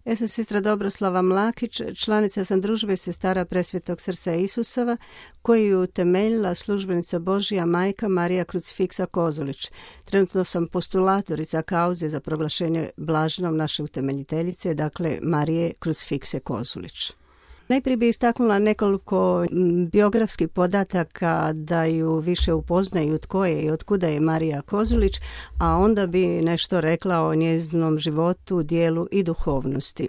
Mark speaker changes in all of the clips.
Speaker 1: Ja sam sestra Dobroslava Mlakić, članica sam Družbe sestara Presvetog srca Isusova, koju je utemeljila službenica Božja majka Marija Krucifiksa Kozulić. Trenutno sam postulatorica kauze za proglašenje blaženom naše utemeljiteljice, dakle Marije Krucifikse Kozulić. Najprije bi istaknula nekoliko biografskih podataka da ju više upoznaju tko je i otkuda je Marija Kozulić, a onda bi nešto rekla o njezinom životu, dijelu i duhovnosti.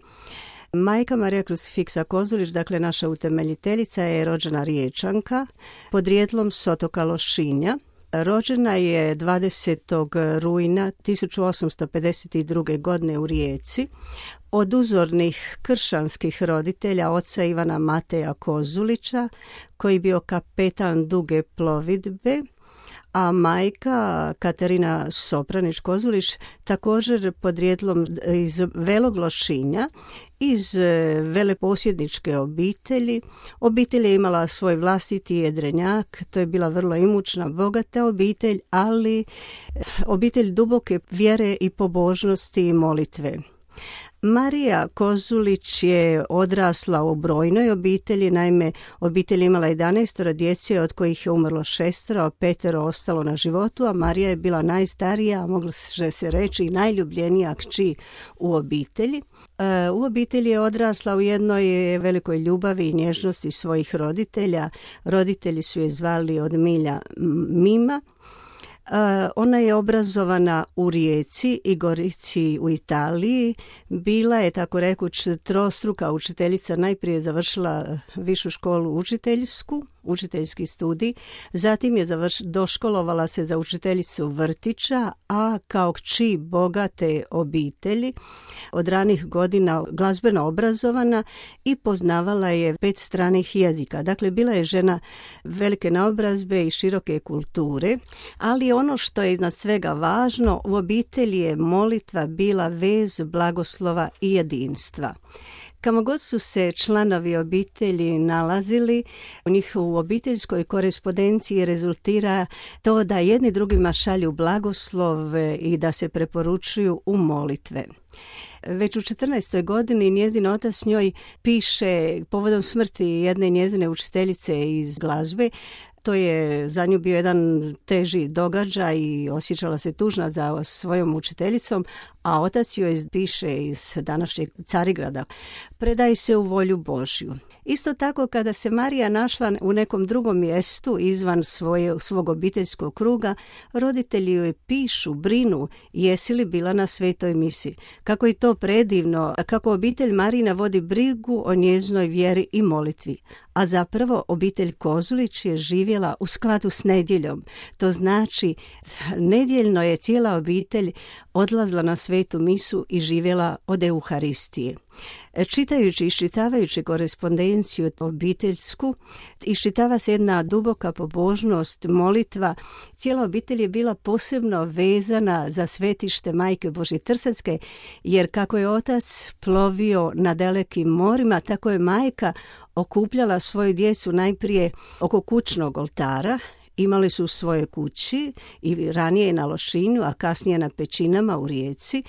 Speaker 1: Majka Marija Krucifiksa Kozulić, dakle naša utemeljiteljica, je rođena Riječanka, podrijetlom s otoka Lošinja. Rođena je 20. rujna 1852. godine u Rijeci od uzornih kršćanskih roditelja oca Ivana Mateja Kozulića, koji je bio kapetan duge plovidbe, a majka Katarina Sopranić Kozulić također podrijetlom iz Velog Lošinja, iz veleposjedničke obitelji. Obitelj je imala svoj vlastiti jedrenjak, to je bila vrlo imućna, bogata obitelj, ali obitelj duboke vjere i pobožnosti i molitve. Marija Kozulić je odrasla u brojnoj obitelji, naime obitelj imala 11 djece, od kojih je umrlo 6, a 5 ostalo na životu, a Marija je bila najstarija, moglo se reći i najljubljenija kći u obitelji. U obitelji je odrasla u jednoj velikoj ljubavi i nježnosti svojih roditelja. Roditelji su je zvali od milja Mima. Ona je obrazovana u Rijeci i Gorici u Italiji. Bila je, tako rekuć, trostruka učiteljica. Najprije završila višu školu učiteljsku, učiteljski studij, zatim je doškolovala se za učiteljicu vrtića, a kao kći bogate obitelji od ranih godina glazbeno obrazovana i poznavala je 5 stranih jezika. Dakle, bila je žena velike naobrazbe i široke kulture, ali ono što je iznad svega važno, u obitelji je molitva bila vez blagoslova i jedinstva. Kamo god su se članovi obitelji nalazili, u njihovu obiteljskoj korespondenciji rezultira to da jedni drugima šalju blagoslov i da se preporučuju u molitve. Već u 14. godini njezin otac njoj piše povodom smrti jedne njezine učiteljice iz glazbe. To je za nju bio jedan teži događaj i osjećala se tužna za svojom učiteljicom, a otac joj piše iz današnjeg Carigrada: predaj se u volju Božju. Isto tako, kada se Marija našla u nekom drugom mjestu izvan svog obiteljskog kruga, roditelji joj pišu, brinu, jesi li bila na svetoj misi. Kako je to predivno, kako obitelj Marina vodi brigu o njezinoj vjeri i molitvi. A zapravo obitelj Kozulić je živjela u skladu s nedjeljom. To znači, nedjeljno je cijela obitelj odlazila na svetu misu i živjela od Euharistije. Čitajući i iščitavajući korespondenciju obiteljsku, iščitava se jedna duboka pobožnost, molitva. Cijela obitelj je bila posebno vezana za svetište Majke Božje Trsatske, jer kako je otac plovio na dalekim morima, tako je majka okupljala svoju djecu najprije oko kućnog oltara. Imali su u svojoj kući i ranije na Lošinju, a kasnije na Pećinama u Rijeci,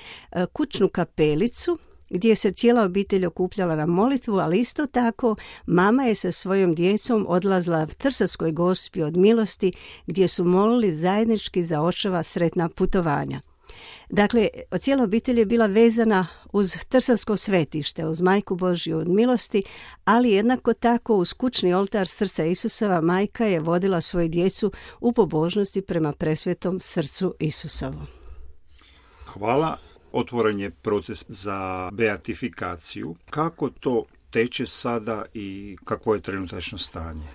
Speaker 1: kućnu kapelicu gdje se cijela obitelj okupljala na molitvu, ali isto tako mama je sa svojom djecom odlazila v Trsatskoj Gospi od milosti, gdje su molili zajednički za očeva sretna putovanja. Dakle, cijela obitelj je bila vezana uz Trsatsko svetište, uz Majku Božju od milosti, ali jednako tako uz kućni oltar srca Isusova majka je vodila svoju djecu u pobožnosti prema presvetom srcu Isusovom.
Speaker 2: Hvala. Otvoren je proces za beatifikaciju. Kako to teče sada i kakvo je trenutačno stanje?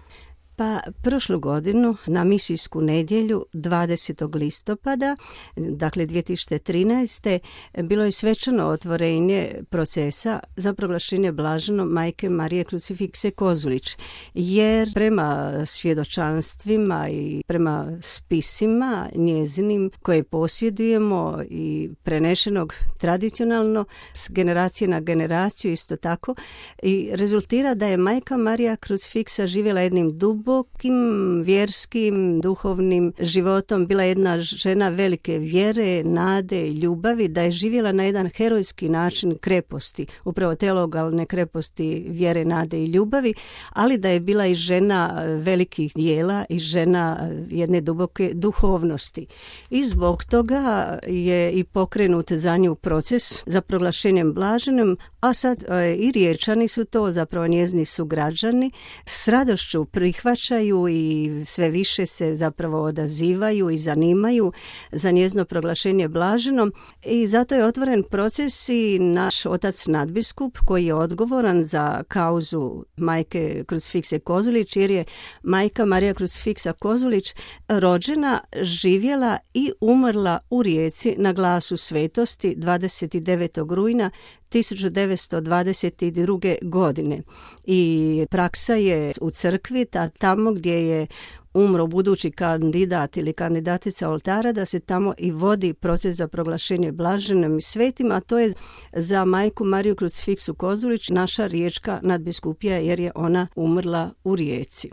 Speaker 1: Pa prošlu godinu na misijsku nedjelju 20. listopada, dakle 2013. bilo je svečano otvorenje procesa za proglašenje blaženom Majke Marije Krucifikse Kozulić, jer prema svjedočanstvima i prema spisima njezinim koje posjedujemo i prenešenog tradicionalno s generacije na generaciju isto tako, i rezultira da je Majka Marija Krucifiksa živjela jednim dubokim vjerskim, duhovnim životom. Bila je jedna žena velike vjere, nade i ljubavi, da je živjela na jedan herojski način kreposti, upravo teologalne kreposti vjere, nade i ljubavi, ali da je bila i žena velikih dijela i žena jedne duboke duhovnosti. I zbog toga je i pokrenut za nju proces za proglašenjem blaženim, a sad i Riječani su to, zapravo njezini su građani, s radošću prihvaćaju i sve više se zapravo odazivaju i zanimaju za njezino proglašenje blaženom i zato je otvoren proces i naš otac nadbiskup koji je odgovoran za kauzu majke Krucifikse Kozulić, jer je majka Marija Krucifiksa Kozulić rođena, živjela i umrla u Rijeci na Glasu svetosti 29. rujna 1922. godine. I praksa je u crkvi, tamo gdje je umro budući kandidat ili kandidatica oltara, da se tamo i vodi proces za proglašenje blaženim i svetim, a to je za majku Mariju Krucifiksu Kozulić naša riječka nadbiskupija, jer je ona umrla u Rijeci.